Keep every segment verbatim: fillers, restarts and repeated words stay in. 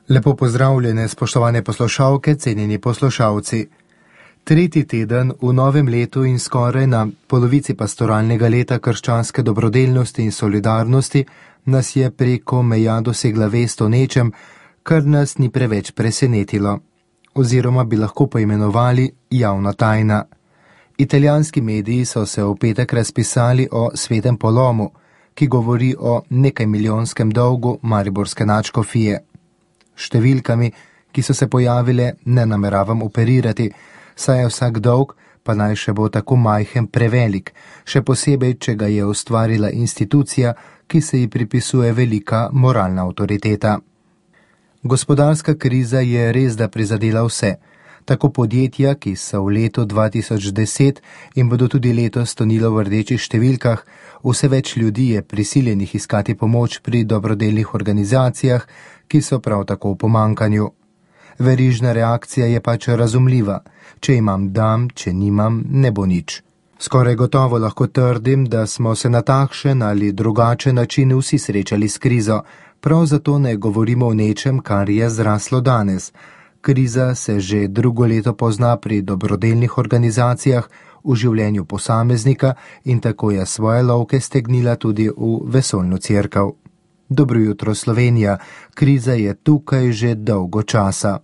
Lepo pozdravljene, spoštovane poslušalke, cenjeni poslušalci. Tretji teden v novem letu in skoraj na polovici pastoralnega leta krščanske dobrodelnosti in solidarnosti nas je preko meja dosegla vest o nečem, kar nas ni preveč presenetilo, oziroma bi lahko poimenovali javna tajna. Italijanski mediji so se v petek razpisali o svetem polomu, ki govori o nekaj milijonskem dolgu mariborske nadškofije. Številkami, ki so se pojavile, ne nameravam operirati, saj je vsak dolg, pa naj še bo tako majhen, prevelik, še posebej, če ga je ustvarila institucija, ki se ji pripisuje velika moralna avtoriteta. Gospodarska kriza je res da prizadela vse, tako podjetja, ki so v letu dva tisoč deset in bodo tudi letos tonilo v rdečih številkah, vse več ljudi je prisiljenih iskati pomoč pri dobrodelnih organizacijah, ki so prav tako v pomankanju. Verižna reakcija je pač razumljiva. Če imam, dam, če nimam, ne bo nič. Skoraj gotovo lahko trdim, da smo se na takšen ali drugačen način vsi srečali s krizo, prav zato ne govorimo o nečem, kar je zraslo danes. Kriza se že drugo leto pozna pri dobrodelnih organizacijah, v življenju posameznika in tako je svoje lovke stegnila tudi v vesoljno cerkev. Dobro jutro, Slovenija, kriza je tukaj že dolgo časa.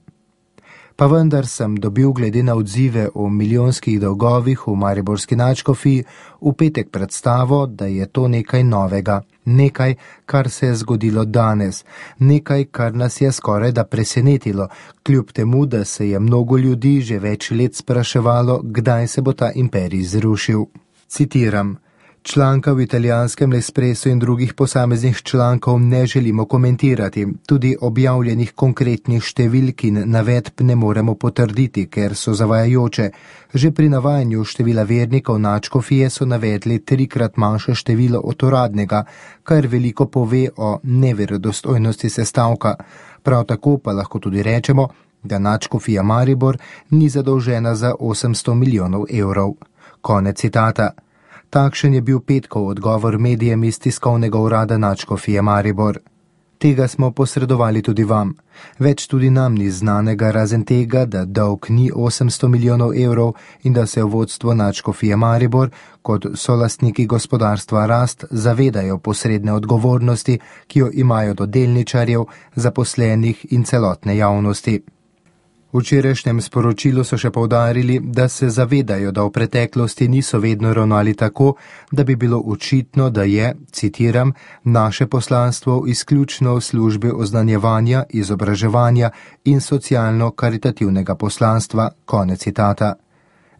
Pa vendar sem dobil glede na odzive o milijonskih dolgovih v mariborski nadškofiji v petek predstavo, da je to nekaj novega, nekaj, kar se je zgodilo danes, nekaj, kar nas je skoraj da presenetilo, kljub temu, da se je mnogo ljudi že več let spraševalo, kdaj se bo ta imperij zrušil. Citiram. Članka v italijanskem L'Espresso in drugih posameznih člankov ne želimo komentirati, tudi objavljenih konkretnih številk in navedb ne moremo potrditi, ker so zavajajoče. Že pri navajanju števila vernikov nadškofije so navedli trikrat manjše število od uradnega, kar veliko pove o neverodostojnosti sestavka. Prav tako pa lahko tudi rečemo, da nadškofija Maribor ni zadolžena za osemsto milijonov evrov. Konec citata. Takšen je bil petkov odgovor medijem iz tiskovnega urada nadškofije Maribor. Tega smo posredovali tudi vam. Več tudi nam ni znanega razen tega, da dolg ni osemsto milijonov evrov in da se v vodstvo nadškofije Maribor kot solastniki gospodarstva Rast zavedajo posredne odgovornosti, ki jo imajo do delničarjev, zaposlenih in celotne javnosti. V včerajšnjem sporočilu so še poudarili, da se zavedajo, da v preteklosti niso vedno ravnali tako, da bi bilo očitno, da je, citiram, naše poslanstvo izključno v službi oznanjevanja, izobraževanja in socialno-karitativnega poslanstva, konec citata.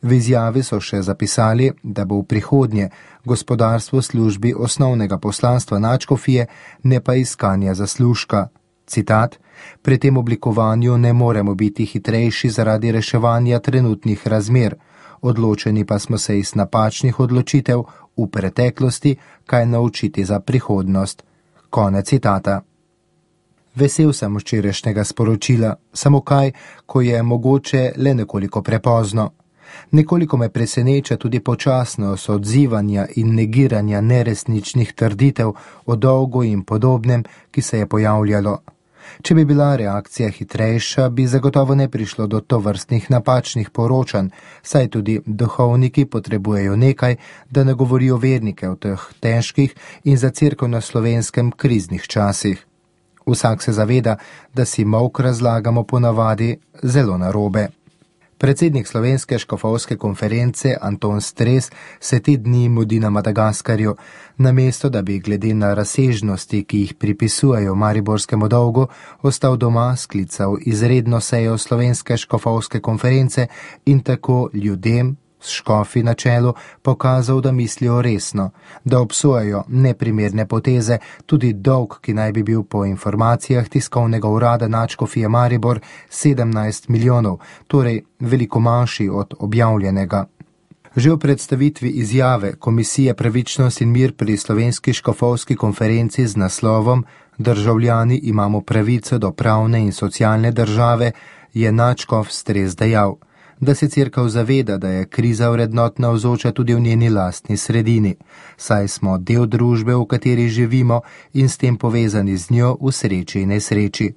V izjavi so še zapisali, da bo v prihodnje gospodarstvo v službi osnovnega poslanstva nadškofije, ne pa iskanja zaslužka. Citat, pri tem oblikovanju ne moremo biti hitrejši zaradi reševanja trenutnih razmer, odločeni pa smo se iz napačnih odločitev v preteklosti kaj naučiti za prihodnost. Konec citata. Vesel sem včerajšnjega sporočila, samo kaj, ko je mogoče le nekoliko prepozno. Nekoliko me preseneča tudi počasnost odzivanja in negiranja neresničnih trditev o dolgu in podobnem, ki se je pojavljalo. Če bi bila reakcija hitrejša, bi zagotovo ne prišlo do tovrstnih napačnih poročanj, saj tudi duhovniki potrebujejo nekaj, da ne govorijo vernike v teh težkih in za cerkev na Slovenskem kriznih časih. Vsak se zaveda, da si molk razlagamo ponavadi zelo narobe. Predsednik Slovenske škofovske konference Anton Stres se te dni mudi na Madagaskarju, namesto da bi glede na razsežnosti, ki jih pripisujejo mariborskemu dolgu, ostal doma, sklical izredno sejo Slovenske škofovske konference in tako ljudem, s škofi na čelu, pokazal, da mislijo resno, da obsojajo neprimerne poteze, tudi dolg, ki naj bi bil po informacijah tiskovnega urada nadškofije Maribor sedemnajst milijonov, torej veliko manjši od objavljenega. Že v predstavitvi izjave Komisije Pravičnost in mir pri Slovenski škofovski konferenci z naslovom Državljani imamo pravico do pravne in socialne države, je nadškof Stres dejal, da se cerkev zaveda, da je kriza vrednot navzoča tudi v njeni lastni sredini, saj smo del družbe, v kateri živimo in s tem povezani z njo v sreči in nesreči.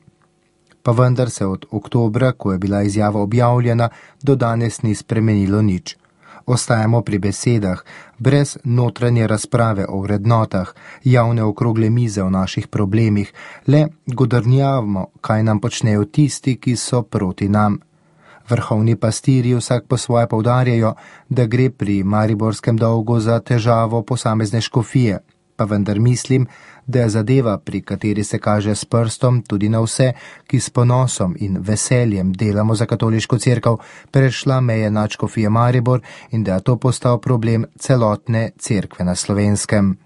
Pa vendar se od oktobra, ko je bila izjava objavljena, do danes ni spremenilo nič. Ostajamo pri besedah, brez notranje razprave o vrednotah, javne okrogle mize o naših problemih, le godrnjavamo, kaj nam počnejo tisti, ki so proti nam. Vrhovni pastirji vsak po svoje poudarjajo, da gre pri mariborskem dolgu za težavo posamezne škofije, pa vendar mislim, da je zadeva, pri kateri se kaže s prstom tudi na vse, ki s ponosom in veseljem delamo za katoliško cerkev, prešla meje nadškofije Maribor in da je to postal problem celotne cerkve na Slovenskem.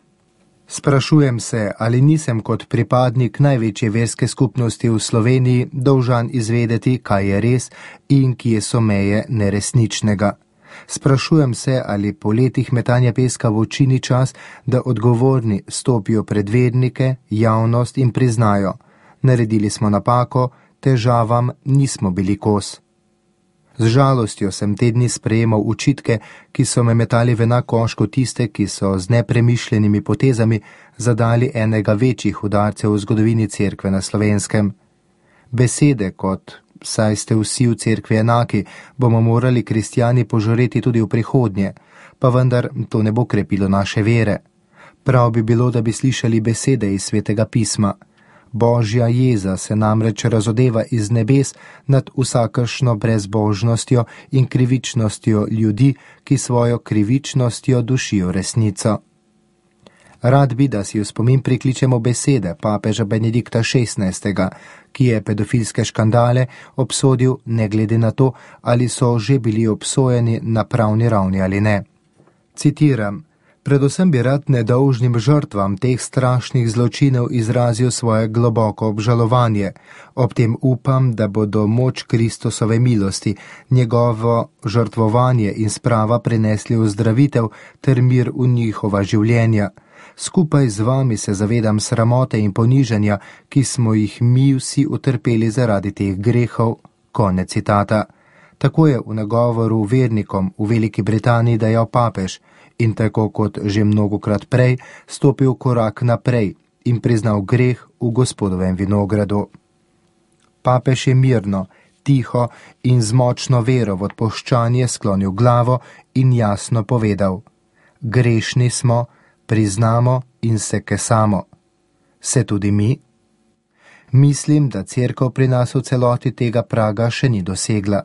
Sprašujem se, ali nisem kot pripadnik največje verske skupnosti v Sloveniji dolžan izvedeti, kaj je res in kje so meje neresničnega. Sprašujem se, ali po letih metanja peska v oči ni čas, da odgovorni stopijo pred vernike, javnost in priznajo: naredili smo napako, težavam nismo bili kos. Z žalostjo sem te dni sprejemal učitke, ki so me metali v enak koš kot tiste, ki so z nepremišljenimi potezami zadali enega večjih udarcev v zgodovini cerkve na Slovenskem. Besede kot saj ste vsi v cerkvi enaki, bomo morali kristjani požoreti tudi v prihodnje, pa vendar to ne bo krepilo naše vere. Prav bi bilo, da bi slišali besede iz Svetega pisma. Božja jeza se namreč razodeva iz nebes nad vsakršno brezbožnostjo in krivičnostjo ljudi, ki svojo krivičnostjo dušijo resnico. Rad bi, da si v spomin prikličemo besede papeža Benedikta šestnajstega, ki je pedofilske škandale obsodil ne glede na to, ali so že bili obsojeni na pravni ravni ali ne. Citiram: predvsem bi rad nedolžnim žrtvam teh strašnih zločinov izrazil svoje globoko obžalovanje. Ob tem upam, da bodo moč Kristusove milosti, njegovo žrtvovanje in sprava prinesli ozdravitev ter mir v njihova življenja. Skupaj z vami se zavedam sramote in ponižanja, ki smo jih mi vsi utrpeli zaradi teh grehov. Konec citata. Tako je v nagovoru vernikom v Veliki Britaniji dejal papež in tako kot že mnogokrat prej stopil korak naprej in priznal greh v Gospodovem vinogradu. Papež je mirno, tiho in z močno vero v odpoščanje sklonil glavo in jasno povedal: grešni smo, priznamo in se kesamo. Se tudi mi? Mislim, da cerkev pri nas v celoti tega praga še ni dosegla.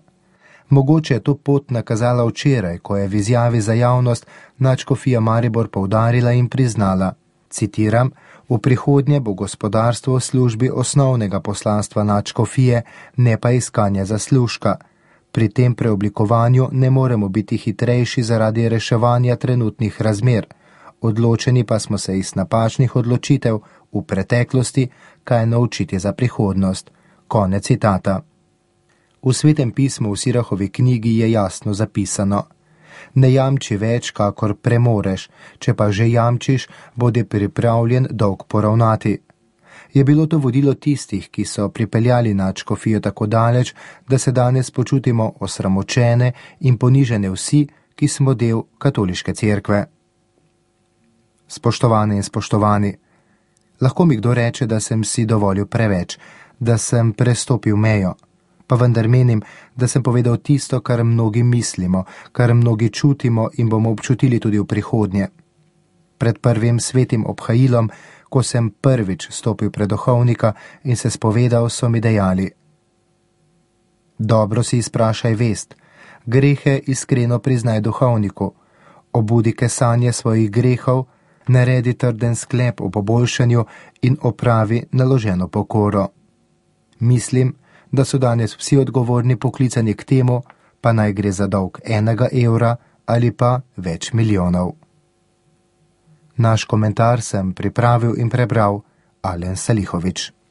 Mogoče je to pot nakazala včeraj, ko je v izjavi za javnost nadškofija Maribor poudarila in priznala, citiram: v prihodnje bo gospodarstvo v službi osnovnega poslanstva nadškofije, ne pa iskanja zaslužka. Pri tem preoblikovanju ne moremo biti hitrejši zaradi reševanja trenutnih razmer. Odločeni pa smo se iz napačnih odločitev v preteklosti kaj naučiti za prihodnost. Konec citata. V Svetem pismu v Sirahovi knjigi je jasno zapisano: ne jamči več, kakor premoreš, če pa že jamčiš, bodi pripravljen dolg poravnati. Je bilo to vodilo tistih, ki so pripeljali nadškofijo tako daleč, da se danes počutimo osramočene in ponižene vsi, ki smo del katoliške cerkve. Spoštovane in spoštovani, lahko mi kdo reče, da sem si dovolil preveč, da sem prestopil mejo, pa vendar menim, da sem povedal tisto, kar mnogi mislimo, kar mnogi čutimo in bomo občutili tudi v prihodnje. Pred prvim svetim obhajilom, ko sem prvič stopil pred duhovnika in se spovedal, so mi dejali: dobro si izprašaj vest, grehe iskreno priznaj duhovniku, obudi kesanje svojih grehov, naredi trden sklep o poboljšanju in opravi naloženo pokoro. Mislim, da so danes vsi odgovorni poklicani k temu, pa naj gre za dolg enega evra ali pa več milijonov. Naš komentar sem pripravil in prebral Alen Salihovič.